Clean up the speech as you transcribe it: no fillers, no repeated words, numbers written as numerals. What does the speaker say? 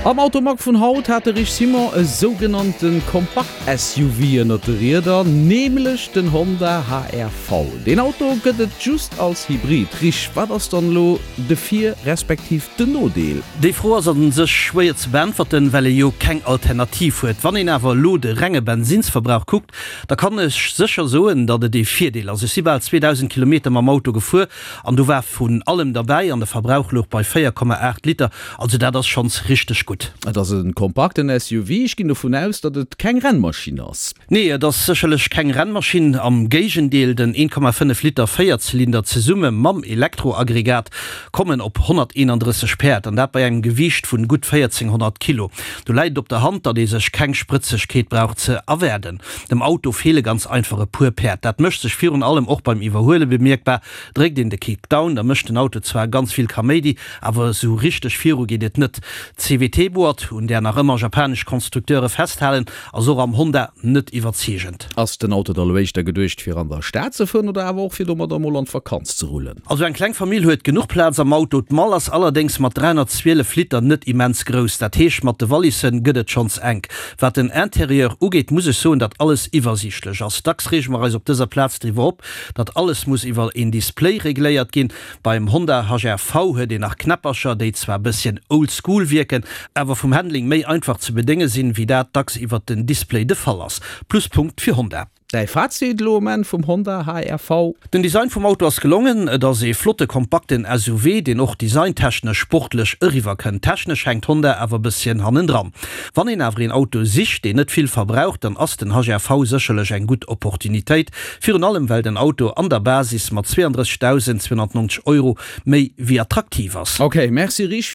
Am Automag vun haut hat de Rich Simon e sougenannte Kompakt-SUV ënnert de Rieder, nämlech den Honda HR-V. Deen Auto gëtt et just als Hybrid. Rich, wat ass dann elo de Vir respektiv den Nodeel? Déi Fro ass a sech schwéier ze beäntwerten, well ee jo keng Alternativ huet. Wann een awer elo de renge Bensinnsverbrauch kuckt, da kann ech sécher soen, datt et ee Virdeel ass. Ech si bal 2.000 Kilometer mam Auto gefuer an do war vun allem derbäi an de Verbrauch louch bei 4,8 Liter. Also dat ass schonns richteg gutt. Et ass e kompakten SUV, ech ginn dovun aus, datt et keng Rennmaschinn ass. Nee, et ass sécherlech keng Rennmaschinn, am Géigendeel, den 1,5 Liter Véierzylinder zesumme mam Elektroaggregat kommen op 131 Päerd, an dat bei engem Gewiicht vun gutt 1400 Kilo. Do läit et op der Hand, datt ee sech keng Sprëtzegkeet brauch ze erwaarden. Dem Auto feele ganz einfach e puer Päerd. Dat mécht sech virun allem och beim Iwwerhuele bemierkbar. Dréckt een de Kick down, da mécht den Auto zwar ganz vill Kaméidi, awer esou richteg viru geet et net. D'CVT-Boîte, un där nach ëmmer japanesch Konstrukteure festhalen, ass och am Honda net iwwerzeegend. Ass den Auto da lo éischter geduecht fir an der Stad ze fueren oder awer och fir domadder mol an d'Vakanz ze rullen? Also eng kleng Famill huet genuch Plaz am Auto. D'Mall ass allerdéngs mat 312 Liter net immens grouss, dat heescht mat de Wallissen gëtt et schonns enk. Wat den Interieur ugeet, muss ech soen, datt alles iwwersiichtlech ass. Dacks reege mer eis op dëser Plaz driwwer op, datt alles muss iwwer een Display regléiert ginn. Beim Honda HR-V huet een nach Knäppercher, déi zwar bësschen old school wierken, awer vum Handling méi einfach ze bedénge sinn, wéi dat dacks iwwert den Display de Fall ass. Pluspunkt fir Honda. Däi Fazit elo um Enn vum Honda HR-V? Den Design vum Auto ass gelongen, et ass ee flotte kompakten SUV, deen och designtechnesch sportlech eriwwer kënnt. Technesch hänkt Honda awer bësschen hannendran. Wann een awer een Auto sicht, deen net vill verbraucht, dann ass den HR-V sécherlech eng gutt Opportunitéit. Virun allem well den Auto an der Basis mat 32.290 Euro méi wéi attraktiv ass. Ok, merci Rich.